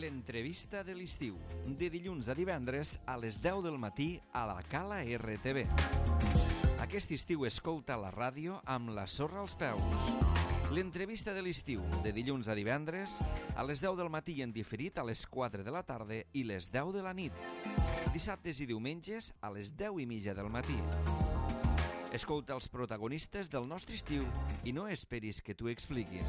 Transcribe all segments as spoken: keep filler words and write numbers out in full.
L'entrevista de l'estiu, de dilluns a divendres a les deu del matí a la Cala R T V. Aquest estiu escolta la ràdio amb la sorra als peus. L'entrevista de l'estiu, de dilluns a divendres a les deu del matí i en diferit a les quatre de la tarda i les deu de la nit. Dissabtes i diumenges a les deu i mitja del matí. Escolta els protagonistes del nostre estiu i no esperis que t'ho expliquin.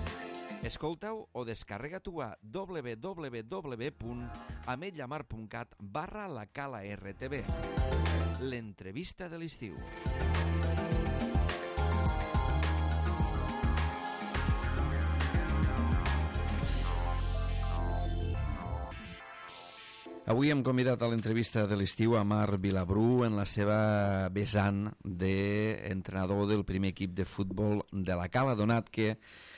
Escolta-ho o descarrega-t'ho a w w w punt ametlla mar punt cat barra la Cala R T V. L'entrevista de l'estiu. Avui hem convidat a l'entrevista de l'estiu a Marc Vilabru en la seva vessant d'entrenador del primer equip de futbol de la Cala, donat que,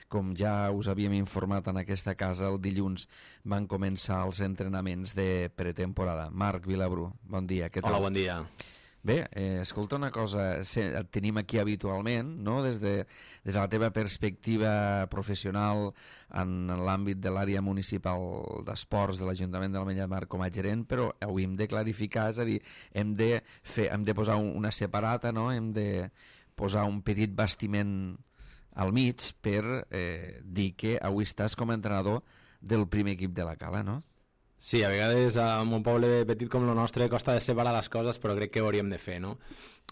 com ja us havíem informat en aquesta casa, el dilluns van començar els entrenaments de pretemporada. Marc Vilabru, bon dia. Què tal? Hola, bon dia. Bé, eh, escolta una cosa, et tenim aquí habitualment, no? Des de, des de la teva perspectiva professional en l'àmbit de l'àrea municipal d'esports de l'Ajuntament de l'Ametlla de Mar com a gerent, però avui hem de clarificar, és a dir, hem de, fer, hem de posar una separata, no? Hem de posar un petit bastiment al mig per eh, dir que avui estàs com a entrenador del primer equip de la Cala, no? Sí, a vegades en un poble petit com el nostre costa de separar les coses, però crec que ho hauríem de fer, no?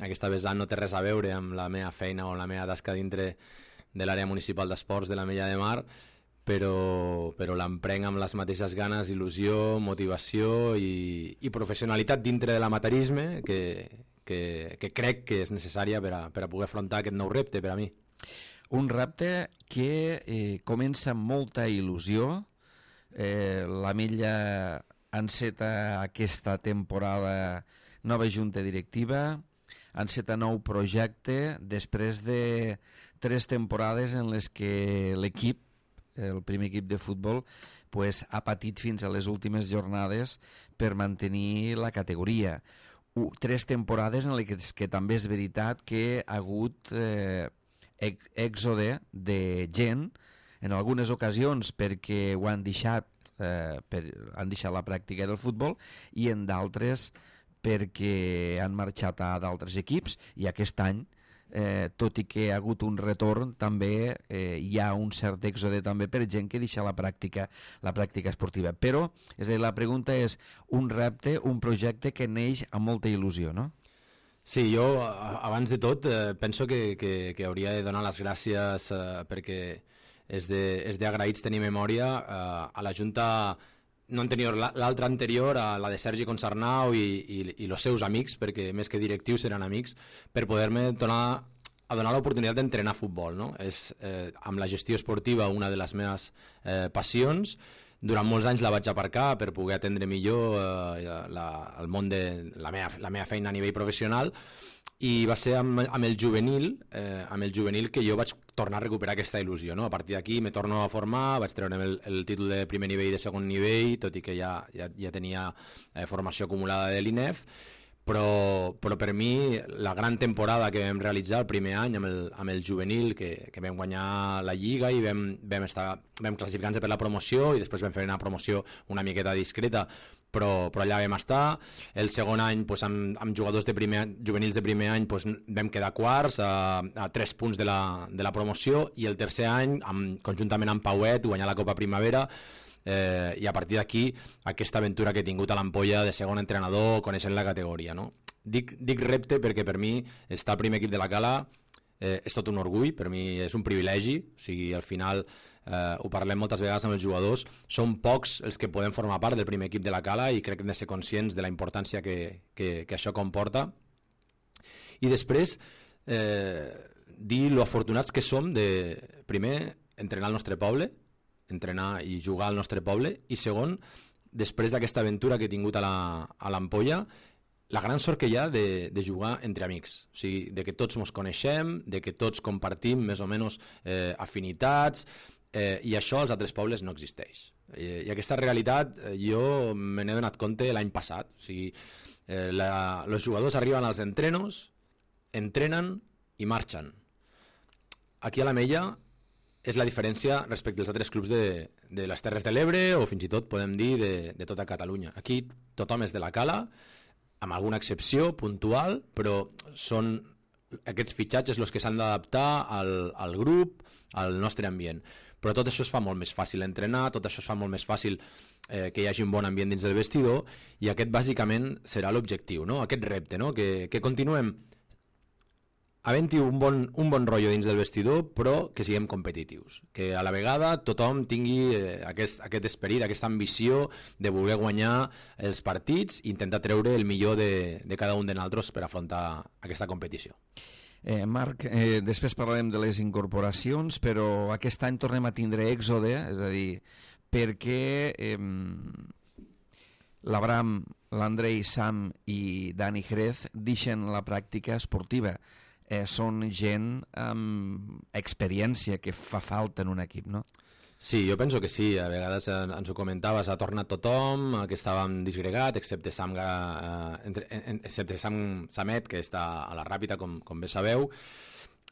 Aquesta vessant no té res a veure amb la meva feina o la meva tasca dintre de l'àrea municipal d'esports de l'Ametlla de Mar, però, però l'emprenc amb les mateixes ganes, il·lusió, motivació i, i professionalitat dintre de l'amateurisme que, que, que crec que és necessària per a, per a poder afrontar aquest nou repte per a mi. Un repte que eh, comença amb molta il·lusió. Eh, l'Ametlla enceta aquesta temporada nova junta directiva, enceta nou projecte després de tres temporades en les que l'equip, el primer equip de futbol, pues, ha patit fins a les últimes jornades per mantenir la categoria. U, tres temporades en les que, que també és veritat que ha hagut eh, èxode de gent, en algunes ocasions perquè ho han deixat, eh, per, han deixat la pràctica del futbol, i en d'altres perquè han marxat a d'altres equips, i aquest any, eh, tot i que ha hagut un retorn, també eh, hi ha un cert èxode també per gent que deixa la pràctica, la pràctica esportiva. Però, és a dir, la pregunta és un repte, un projecte que neix amb molta il·lusió, no? Sí, jo, abans de tot, eh, penso que, que, que hauria de donar les gràcies eh, perquè és d'agraïts tenir memòria eh, a la Junta, no anterior, l'altra anterior, a la de Sergi Concarnau i, i, i els seus amics, perquè més que directius eren amics, per poder-me donar, a donar l'oportunitat d'entrenar futbol, no? És eh, amb la gestió esportiva una de les meves eh, passions. Durant molts anys la vaig aparcar per poder atendre millor eh, la, el món de la meva, la meva feina a nivell professional, i va ser amb, amb el juvenil eh, amb el juvenil que jo vaig tornar a recuperar aquesta il·lusió, no? A partir d'aquí me torno a formar, vaig treure el, el títol de primer nivell i de segon nivell, tot i que ja, ja, ja tenia eh, formació acumulada de l'I N E F, però, però per mi la gran temporada que vam realitzar el primer any amb el, amb el juvenil, que, que vam guanyar la Lliga i vam, vam, estar, vam classificar-nos per la promoció, i després vam fer una promoció una miqueta discreta, però, però allà vam estar. El segon any, doncs, amb, amb jugadors de primer, juvenils de primer any, doncs, vam quedar quarts a, a tres punts de la, de la promoció, i el tercer any, amb, conjuntament amb Pauet, guanyar la Copa Primavera. Eh, i a partir d'aquí aquesta aventura que he tingut a l'Ampolla de segon entrenador, coneixent la categoria, no? Dic, dic repte perquè per mi estar al primer equip de la Cala eh, és tot un orgull, per mi és un privilegi, o sigui, al final eh, ho parlem moltes vegades amb els jugadors, són pocs els que podem formar part del primer equip de la Cala, i crec que hem de ser conscients de la importància que, que, que això comporta. I després eh, dir lo afortunats que som de, primer, entrenar al nostre poble, entrenar i jugar al nostre poble, i segon, després d'aquesta aventura que he tingut a l'Ampolla, la gran sort que hi ha de, de jugar entre amics, o sigui, de que tots ens coneixem, de que tots compartim més o menys eh, afinitats, eh, i això als altres pobles no existeix. I, i aquesta realitat eh, jo me n'he donat compte l'any passat, o sigui, eh, la, els jugadors arriben als entrenos, entrenen i marxen. Aquí a l'Ametlla és la diferència respecte als altres clubs de, de les Terres de l'Ebre o fins i tot podem dir de, de tota Catalunya. Aquí tothom és de la Cala, amb alguna excepció puntual, però són aquests fitxatges els que s'han d'adaptar al, al grup, al nostre ambient. Però tot això es fa molt més fàcil entrenar, tot això es fa molt més fàcil eh, que hi hagi un bon ambient dins del vestidor, i aquest bàsicament serà l'objectiu, no? Aquest repte, no? que, que continuem havent-hi un bon, un bon rotllo dins del vestidor, però que siguem competitius, que a la vegada tothom tingui eh, aquest, aquest esperit, aquesta ambició de voler guanyar els partits i intentar treure el millor de, de cada un de nosaltres per afrontar aquesta competició. Eh, Marc, eh, després parlarem de les incorporacions, però aquest any tornem a tindre èxode, és a dir, perquè eh, l'Abram, l'Andrei, Sam i Dani Jerez deixen la pràctica esportiva. Eh, són gent amb experiència que fa falta en un equip, no? Sí, jo penso que sí, a vegades eh, ens ho comentaves, ha tornat tothom, que estàvem disgregat, excepte Sam, eh, entre, en, excepte Sam Samet, que està a la Ràpita, com, com bé sabeu,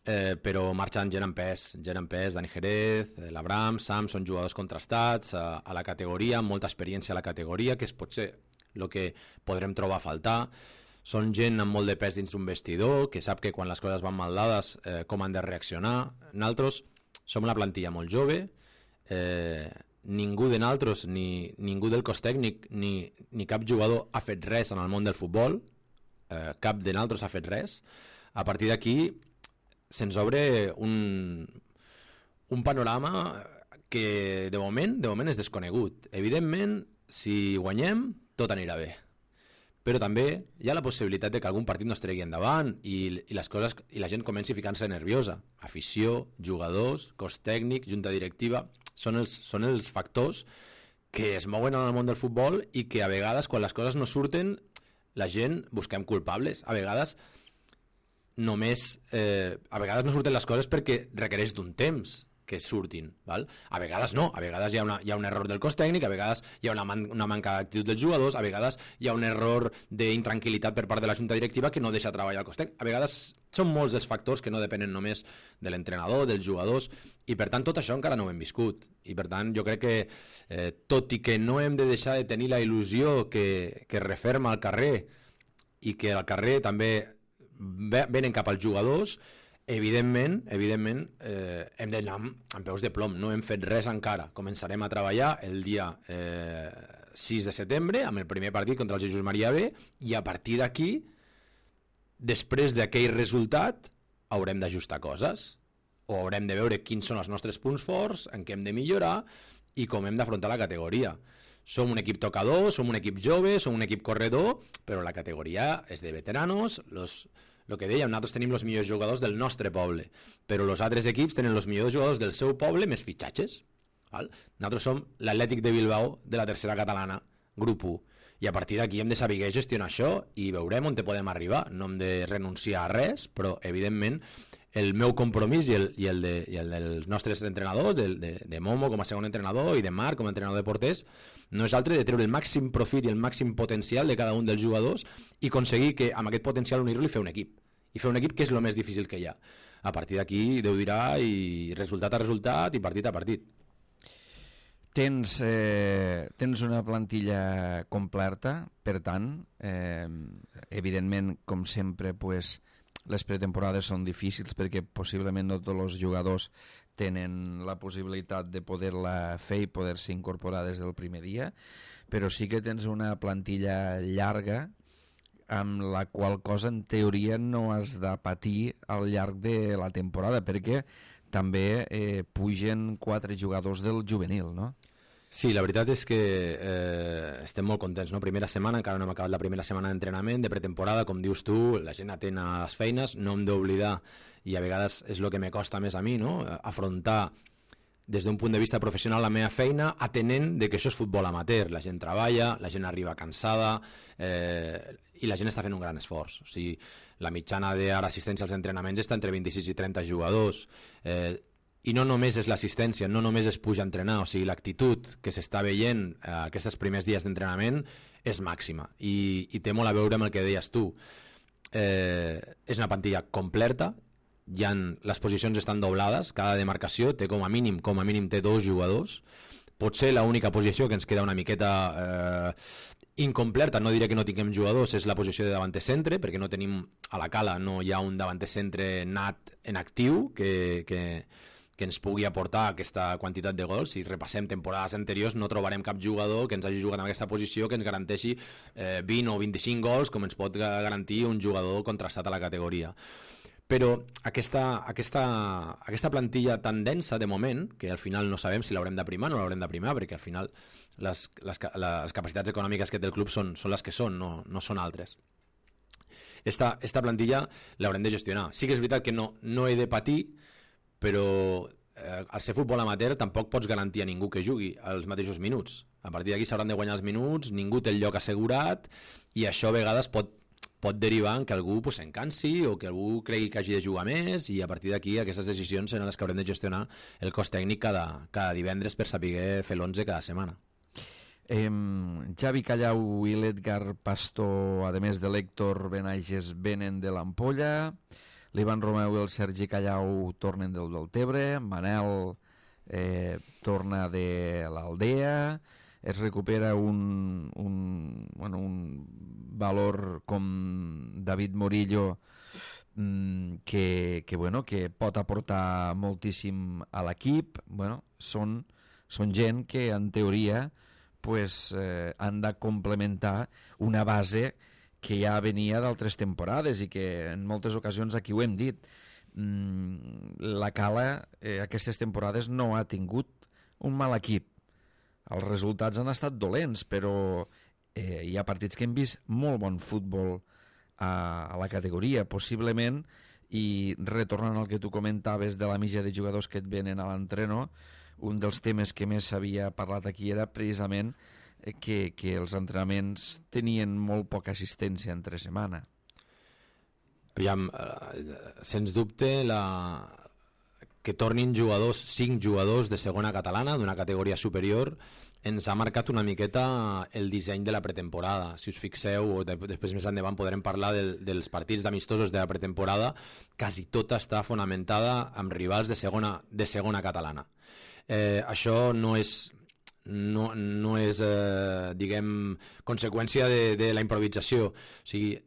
eh, però marxen gent en pes, gent en pes, Dani Jerez, l'Abram, Sam, són jugadors contrastats a, a la categoria, amb molta experiència a la categoria, que és potser el que podrem trobar a faltar. Són gent amb molt de pes dins d'un vestidor, que sap que quan les coses van mal dades eh, com han de reaccionar. Nosaltres som una plantilla molt jove, eh, ningú de nosaltres, ni ningú del cos tècnic, ni, ni cap jugador ha fet res en el món del futbol, eh, cap de nosaltres ha fet res. A partir d'aquí se'ns obre un, un panorama que de moment, de moment és desconegut. Evidentment, si guanyem, tot anirà bé. Però també hi ha la possibilitat de que algun partit no es tregui endavant i, i, les coses, i la gent comenci a ficar-se nerviosa. Afició, jugadors, cos tècnic, junta directiva, són els, són els factors que es mouen en el món del futbol i que a vegades, quan les coses no surten, la gent busquem culpables. A vegades només eh, a vegades no surten les coses perquè requereix d'un temps que surtin, val? A vegades no, a vegades hi ha, una, hi ha un error del cos tècnic, a vegades hi ha una, man, una manca d'actitud dels jugadors, a vegades hi ha un error d'intranquil·litat per part de la junta directiva que no deixa treballar el cos tècnic. A vegades són molts els factors que no depenen només de l'entrenador, dels jugadors, i per tant tot això encara no ho hem viscut. I per tant jo crec que eh, tot i que no hem de deixar de tenir la il·lusió que, que referma al carrer i que al carrer també venen cap als jugadors, evidentment, evidentment eh, hem d'anar amb, amb peus de plom, no hem fet res encara. Començarem a treballar el dia eh, sis de setembre amb el primer partit contra el Jesús Maria B i a partir d'aquí, després d'aquell resultat, haurem d'ajustar coses o haurem de veure quins són els nostres punts forts, en què hem de millorar i com hem d'afrontar la categoria. Som un equip tocador, som un equip jove, som un equip corredor, però la categoria és de veteranos, los... el que dèiem, nosaltres tenim els millors jugadors del nostre poble, però els altres equips tenen els millors jugadors del seu poble més fitxatges. Val? Nosaltres som l'Atlètic de Bilbao de la tercera catalana, grup u, i a partir d'aquí hem de saber gestionar això i veurem on te podem arribar. No hem de renunciar a res, però evidentment el meu compromís i el, i el, de, i el dels nostres entrenadors, de, de, de Momo com a segon entrenador i de Marc com a entrenador de porters, no és altre de treure el màxim profit i el màxim potencial de cada un dels jugadors i aconseguir que amb aquest potencial unir-lo i fer un equip. I fer un equip que és el més difícil que hi ha. A partir d'aquí Déu dirà i resultat a resultat i partit a partit. Tens, eh, tens una plantilla completa, per tant, eh, evidentment, com sempre, pues, les pretemporades són difícils perquè possiblement no tots els jugadors tenen la possibilitat de poder-la fer i poder-se incorporar des del primer dia, però sí que tens una plantilla llarga amb la qual cosa en teoria no has de patir al llarg de la temporada perquè també eh, pugen quatre jugadors del juvenil, no? Sí, la veritat és que eh, estem molt contents, no? Primera setmana, encara no hem acabat la primera setmana d'entrenament, de pretemporada, com dius tu, la gent atén a les feines, no hem d'oblidar, i a vegades és el que me costa més a mi, no? Afrontar des d'un punt de vista professional la meva feina, atenent de que això és futbol amateur, la gent treballa, la gent arriba cansada, eh, i la gent està fent un gran esforç. O sigui, la mitjana d'ara assistència als entrenaments està entre vint-i-sis i trenta jugadors, eh, i no només és l'assistència, no només es puja a entrenar, o sigui, l'actitud que s'està veient eh, aquests primers dies d'entrenament és màxima i, i té molt a veure amb el que deies tu. Eh, és una plantilla completa, hi ha, les posicions estan doblades, cada demarcació té com a mínim, com a mínim té dos jugadors. Potser l'única posició que ens queda una miqueta eh, incompleta, no diré que no tinguem jugadors, és la posició de davanter centre, perquè no tenim a la cala, no hi ha un davanter centre nat en actiu que, que, que ens pugui aportar aquesta quantitat de gols. Si repassem temporades anteriors no trobarem cap jugador que ens hagi jugat en aquesta posició que ens garanteixi eh, vint o vint-i-cinc gols com ens pot garantir un jugador contrastat a la categoria. Però aquesta, aquesta, aquesta plantilla tan densa de moment, que al final no sabem si l'haurem de primar o no l'haurem de primar, perquè al final les, les, les capacitats econòmiques que té el club són, són les que són, no, no són altres. Esta, esta plantilla l'haurem de gestionar. Sí que és veritat que no, no he de patir, però eh, al ser futbol amateur tampoc pots garantir a ningú que jugui els mateixos minuts. A partir d'aquí s'hauran de guanyar els minuts, ningú té el lloc assegurat, i això a vegades pot pot derivar en que algú pues, s'encansi o que algú cregui que hagi de jugar més, i a partir d'aquí aquestes decisions seran les que haurem de gestionar el cos tècnic cada, cada divendres per saber fer l'onze cada setmana. Eh, Xavi Callau i l'Edgar Pastor, a més de l'Héctor Benages, venen de l'Ampolla, l'Ivan Romeu i el Sergi Callau tornen del Deltebre, Manel eh, torna de l'Aldea, es recupera un, un, bueno, un valor com David Morillo mmm, que, que, bueno, que pot aportar moltíssim a l'equip. Bueno, són, són gent que en teoria pues, eh, han de complementar una base que ja venia d'altres temporades i que en moltes ocasions aquí ho hem dit. Mm, la Cala eh, aquestes temporades no ha tingut un mal equip. Els resultats han estat dolents, però eh, hi ha partits que hem vist molt bon futbol a, a la categoria, possiblement, i retornant al que tu comentaves de la mitja de jugadors que et venen a l'entreno, un dels temes que més s'havia parlat aquí era precisament que, que els entrenaments tenien molt poca assistència entre setmana. Aviam, sens dubte, la... que tornin jugadors, cinc jugadors de segona catalana, d'una categoria superior, ens ha marcat una miqueta el disseny de la pretemporada. Si us fixeu, o de, després més endavant podrem parlar del, dels partits d'amistosos de la pretemporada, quasi tota està fonamentada amb rivals de segona, de segona catalana. Eh, això no és, no, no és eh, diguem, conseqüència de, de la improvisació. O sigui,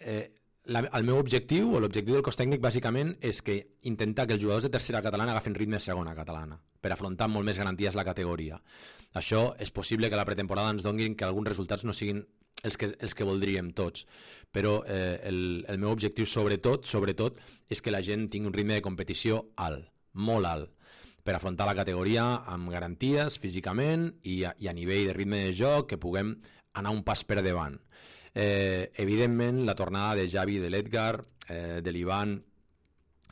eh, La, el meu objectiu, o l'objectiu del cos tècnic, bàsicament, és que intentar que els jugadors de tercera catalana agafen ritme de segona catalana, per afrontar molt més garanties la categoria. Això és possible que a la pretemporada ens donin que alguns resultats no siguin els que, els que voldríem tots, però eh, el, el meu objectiu sobretot, sobretot és que la gent tingui un ritme de competició alt, molt alt, per afrontar la categoria amb garanties físicament i a, i a nivell de ritme de joc, que puguem anar un pas per davant. Eh, evidentment la tornada de Xavi, de l'Edgar, eh, de l'Ivan,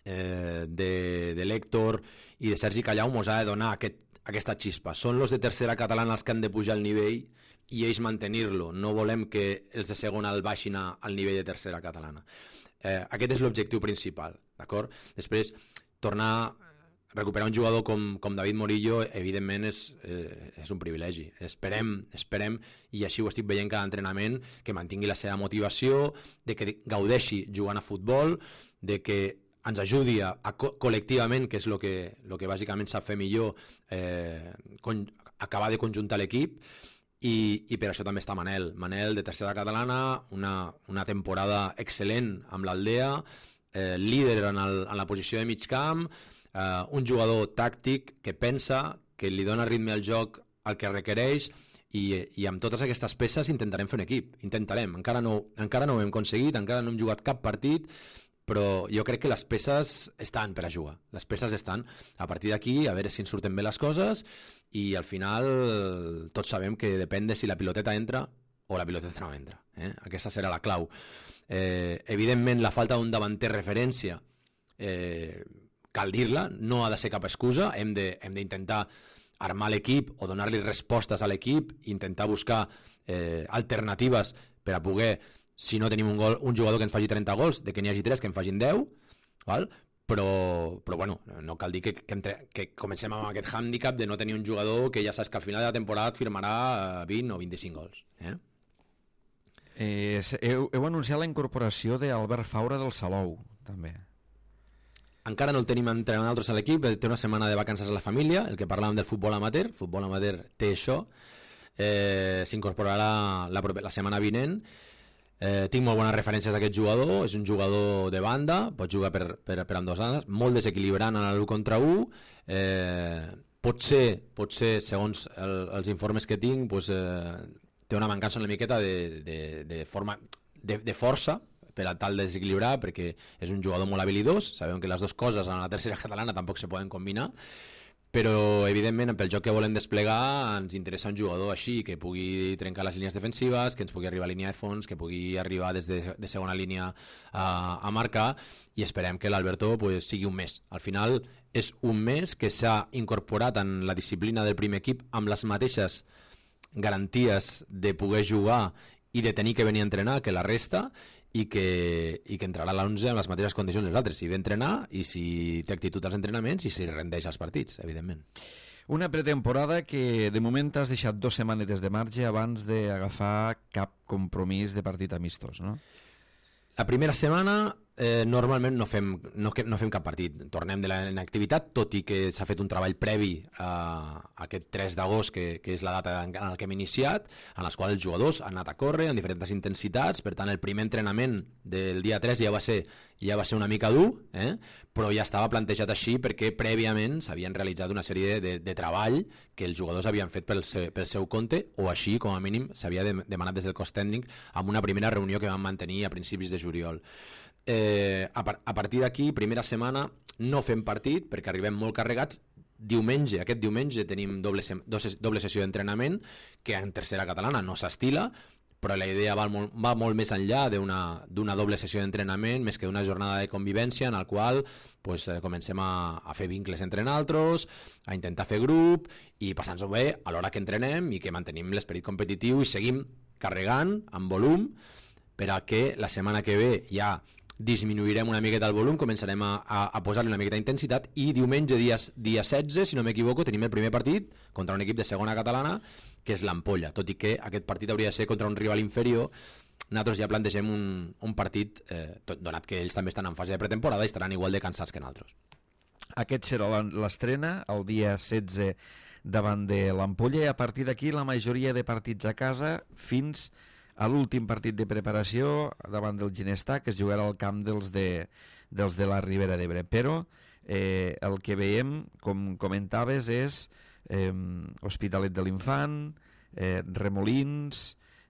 eh, de, de l'Héctor i de Sergi Callau mos ha de donar aquest, aquesta xispa. Són els de tercera catalana els que han de pujar el nivell i ells mantenir-lo. No volem que els de segona el baixin al nivell de tercera catalana. Eh, aquest és l'objectiu principal, d'acord? Després, tornar recuperar un jugador com, com David Morillo, evidentment és, eh, és un privilegi. Esperem, esperem, i així ho estic veient cada entrenament, que mantingui la seva motivació, de que gaudeixi jugant a futbol, de que ens ajudi a, a co col·lectivament, que és el que, lo que bàsicament sap fer millor, eh, con, acabar de conjuntar l'equip, i, i per això també està Manel. Manel, de tercera catalana, una, una temporada excel·lent amb l'Aldea, eh, líder en, el, en la posició de mig camp, Uh, un jugador tàctic que pensa, que li dona ritme al joc el que requereix, i, i amb totes aquestes peces intentarem fer un equip, intentarem, encara no, encara no ho hem aconseguit, encara no hem jugat cap partit, però jo crec que les peces estan per a jugar, les peces estan. A partir d'aquí, a veure si ens surten bé les coses, i al final tots sabem que depèn de si la piloteta entra o la piloteta no entra, eh? Aquesta serà la clau. Eh, evidentment la falta d'un davanter referència eh, cal dir-la, no ha de ser cap excusa, hem d'intentar armar l'equip o donar-li respostes a l'equip, intentar buscar eh, alternatives per a poder, si no tenim un, gol, un jugador que ens faci trenta gols, de que n'hi hagi tres que en facin deu, val? Però, però bueno, no cal dir que, que, entre, que comencem amb aquest hàndicap de no tenir un jugador que ja saps que al final de la temporada et firmarà vint o vint-i-cinc gols. Eh? Eh, heu, heu anunciat la incorporació d'Albert Faura del Salou, també. encara no el tenim entrenant altres a l'equip, té una setmana de vacances a la família, el que parlàvem del futbol amateur, el futbol amateur té això, eh, s'incorporarà la, la, la setmana vinent. Eh, tinc molt bones referències d'aquest jugador, és un jugador de banda, pot jugar per, per, per amb dos andes, molt desequilibrant en l'u contra u, eh, potser, potser segons el, els informes que tinc, pues, eh, té una mancança una miqueta de, de, de, forma, de, de força per a tal de desequilibrar, perquè és un jugador molt habilidós, sabem que les dues coses en la tercera catalana tampoc se poden combinar, però evidentment pel joc que volem desplegar ens interessa un jugador així, que pugui trencar les línies defensives, que ens pugui arribar a línia de fons, que pugui arribar des de, de segona línia a, a marcar, i esperem que l'Alberto pues, sigui un mes. Al final és un mes que s'ha incorporat en la disciplina del primer equip amb les mateixes garanties de poder jugar i de tenir que venir a entrenar que la resta, i que, i que entrarà a l'onze amb les mateixes condicions dels altres, si ve a entrenar i si té actitud als entrenaments i si rendeix als partits, evidentment. Una pretemporada que de moment has deixat dues setmanetes de marge abans d'agafar cap compromís de partit amistós, no? La primera setmana eh, normalment no fem, no, no fem cap partit, tornem de la inactivitat, tot i que s'ha fet un treball previ a, a aquest tres d'agost, que, que és la data en la que hem iniciat, en les quals els jugadors han anat a córrer en diferents intensitats, per tant el primer entrenament del dia tres ja va ser, ja va ser una mica dur, eh? Però ja estava plantejat així perquè prèviament s'havien realitzat una sèrie de, de, de treball que els jugadors havien fet pel seu, pel seu compte, o així com a mínim s'havia de, demanat des del cos tècnic amb una primera reunió que vam mantenir a principis de juliol. Eh, a, par a partir d'aquí, primera setmana no fem partit perquè arribem molt carregats. Diumenge, aquest diumenge tenim doble, doble sessió d'entrenament que en tercera catalana no s'estila, però la idea va molt, va molt més enllà d'una doble sessió d'entrenament, més que d'una jornada de convivència en la qual pues, eh, comencem a, a fer vincles entre nosaltres, a intentar fer grup i passar-nos-ho bé a l'hora que entrenem i que mantenim l'esperit competitiu i seguim carregant amb volum per a que la setmana que ve ja disminuirem una miqueta el volum, començarem a, a, a posar-li una miqueta d'intensitat i diumenge, dia, dia setze, si no m'equivoco, tenim el primer partit contra un equip de segona catalana, que és l'Ampolla, tot i que aquest partit hauria de ser contra un rival inferior. Nosaltres ja plantegem un, un partit, eh, tot, donat que ells també estan en fase de pretemporada i estaran igual de cansats que nosaltres. Aquest serà l'estrena, el dia setze davant de l'Ampolla, i a partir d'aquí la majoria de partits a casa fins a l'últim partit de preparació davant del Ginestar, que es jugarà al camp dels de, dels de la Ribera d'Ebre. Però eh, el que veiem, com comentaves, és eh, Hospitalet de l'Infant, eh, Remolins,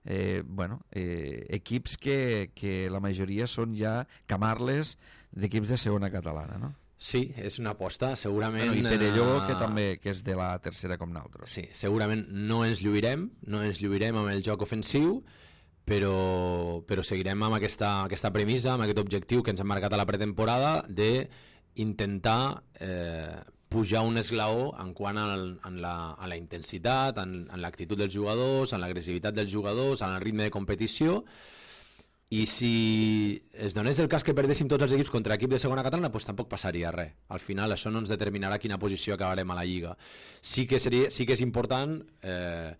eh, bueno, eh, equips que, que la majoria són ja camarles d'equips de segona catalana, no? Sí, és una aposta, segurament... Bueno, i Perelló, que també que és de la tercera com nosaltres. Sí, segurament no ens lluirem, no ens lluirem amb el joc ofensiu, però, però seguirem amb aquesta, aquesta premissa, amb aquest objectiu que ens hem marcat a la pretemporada d'intentar eh, pujar un esglaó en quant al, en, la, en la intensitat, en, en l'actitud dels jugadors, en l'agressivitat dels jugadors, en el ritme de competició. I si es donés el cas que perdéssim tots els equips contra equip de segona catalana, doncs tampoc passaria res. Al final això no ens determinarà quina posició acabarem a la Lliga. Sí que, seria, sí que és important eh,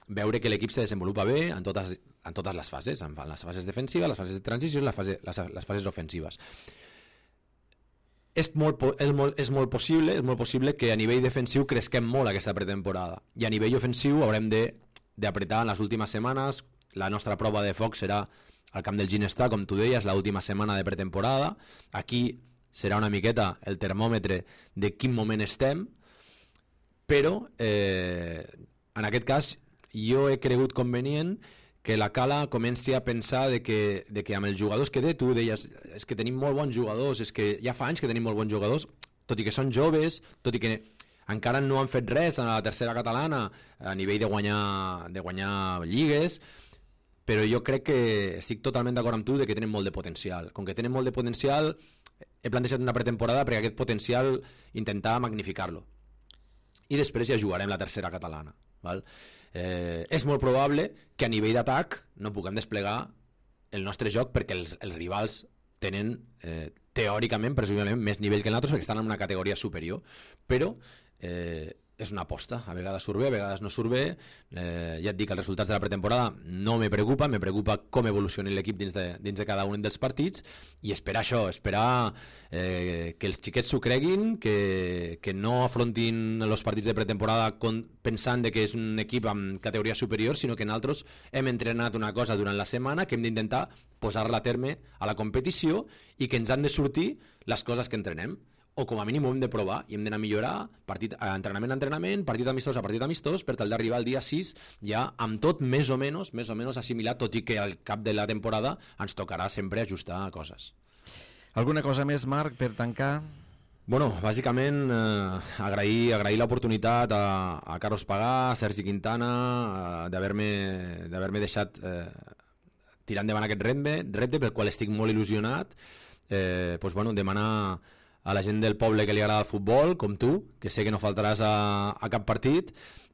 veure que l'equip se desenvolupa bé en totes, en totes les fases, en les fases defensives, les fases de transició i les, fase, les, les fases ofensives. És molt, és, molt, és molt possible és molt possible que a nivell defensiu cresquem molt aquesta pretemporada, i a nivell ofensiu haurem d'apretar en les últimes setmanes. La nostra prova de foc serà al camp del Ginestar, com tu deies, l'última setmana de pretemporada. Aquí serà una miqueta el termòmetre de quin moment estem, però eh, en aquest cas jo he cregut convenient que la Cala comenci a pensar de que, de que amb els jugadors que té, tu deies, és que tenim molt bons jugadors, és que ja fa anys que tenim molt bons jugadors, tot i que són joves, tot i que encara no han fet res a la tercera catalana a nivell de guanyar, de guanyar lligues, però jo crec que estic totalment d'acord amb tu de que tenen molt de potencial. Com que tenen molt de potencial, he plantejat una pretemporada perquè aquest potencial intentar magnificar-lo. I després ja jugarem la tercera catalana. Val? Eh, és molt probable que a nivell d'atac no puguem desplegar el nostre joc perquè els, els rivals tenen eh, teòricament, presumiblement, més nivell que nosaltres perquè estan en una categoria superior, però eh, és una aposta, a vegades surt bé, a vegades no surt bé, eh, ja et dic, els resultats de la pretemporada no me preocupa, me preocupa com evolucioni l'equip dins, de, dins de cada un dels partits, i esperar això, esperar eh, que els xiquets s'ho creguin, que, que no afrontin els partits de pretemporada con, pensant de que és un equip amb categoria superior, sinó que nosaltres hem entrenat una cosa durant la setmana que hem d'intentar posar-la a terme a la competició i que ens han de sortir les coses que entrenem, o com a mínim ho hem de provar i hem d'anar a millorar partit, entrenament a entrenament, partit amistós a partit amistós, per tal d'arribar al dia sis ja amb tot més o menys, més o menys assimilat, tot i que al cap de la temporada ens tocarà sempre ajustar coses. Alguna cosa més, Marc, per tancar? Bueno, bàsicament eh, agrair, agrair l'oportunitat a, a Carlos Pagà, a Sergi Quintana, eh, d'haver-me d'haver-me deixat eh, tirar endavant aquest repte, repte pel qual estic molt il·lusionat. Eh, pues, bueno, demanar a la gent del poble que li agrada el futbol, com tu, que sé que no faltaràs a, a cap partit,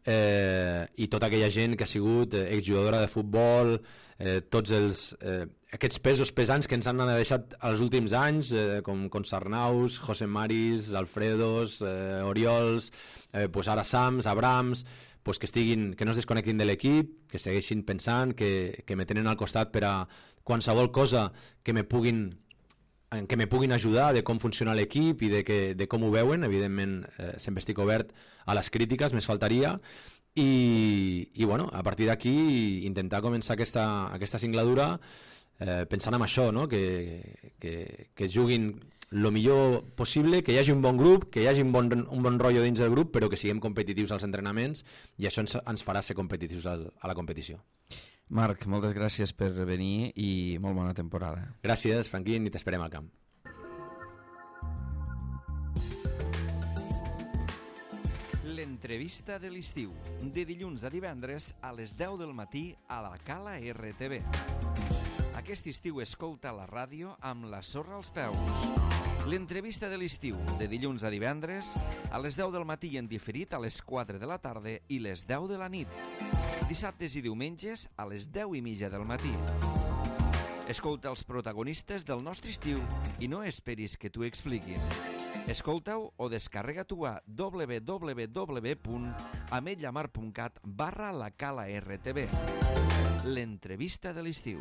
eh, i tota aquella gent que ha sigut eh, exjugadora de futbol, eh, tots els, eh, aquests pesos pesants que ens han deixat els últims anys, eh, com, com Sarnaus, José Maris, Alfredos, eh, Oriols, eh, pues ara Sams, Abrams, pues que, estiguin, que no es desconnectin de l'equip, que segueixin pensant, que, que me tenen al costat per a qualsevol cosa que me puguin en què me puguin ajudar de com funciona l'equip i de, que, de com ho veuen. Evidentment eh, sempre estic obert a les crítiques, més faltaria, i, i bueno, a partir d'aquí intentar començar aquesta, aquesta singladura eh, pensant en això, no? que, que, que juguin el millor possible, que hi hagi un bon grup, que hi hagi un bon, un bon rotllo dins del grup, però que siguem competitius als entrenaments, i això ens, ens farà ser competitius al, a la competició. Marc, moltes gràcies per venir i molt bona temporada. Gràcies, Franquín, i t'esperem al camp. L'entrevista de l'estiu, de dilluns a divendres a les deu del matí a la Cala R T V. Aquest estiu escolta la ràdio amb la sorra als peus. L'entrevista de l'estiu, de dilluns a divendres a les deu del matí en diferit a les quatre de la tarda i les deu de la nit. Dissabtes i diumenges a les deu i mitja del matí. Escolta els protagonistes del nostre estiu i no esperis que t'ho expliquin. Escolta-ho o descarrega-t'ho a w w w punt ametlla mar punt cat barra la cala R T V. L'entrevista de l'estiu.